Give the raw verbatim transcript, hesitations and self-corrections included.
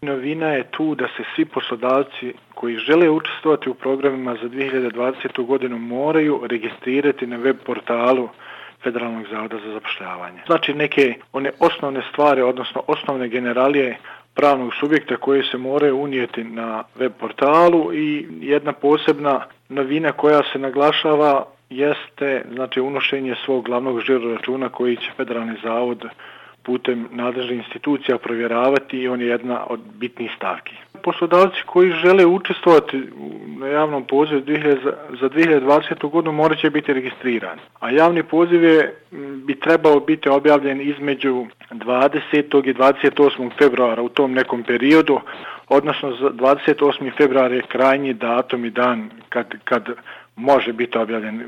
Novina je tu da se svi poslodavci koji žele učestvovati u programima za dvije hiljade dvadesetu. godinu moraju registrirati na web portalu Federalnog zavoda za zapošljavanje. Znači neke one osnovne stvari, odnosno osnovne generalije pravnog subjekta koje se moraju unijeti na web portalu i jedna posebna novina koja se naglašava jeste znači unošenje svog glavnog žiro računa koji će Federalni zavod putem nadležnih institucija provjeravati i on je jedna od bitnih stavki. Poslodavci koji žele učestvovati na javnom pozivu za dvije hiljade dvadesetu. godinu morat će biti registrirani, a javni poziv je, bi trebao biti objavljen između dvadesetog i dvadeset osmog februara u tom nekom periodu, odnosno dvadeset osmi februar je krajnji datum i dan kad, kad može biti objavljen.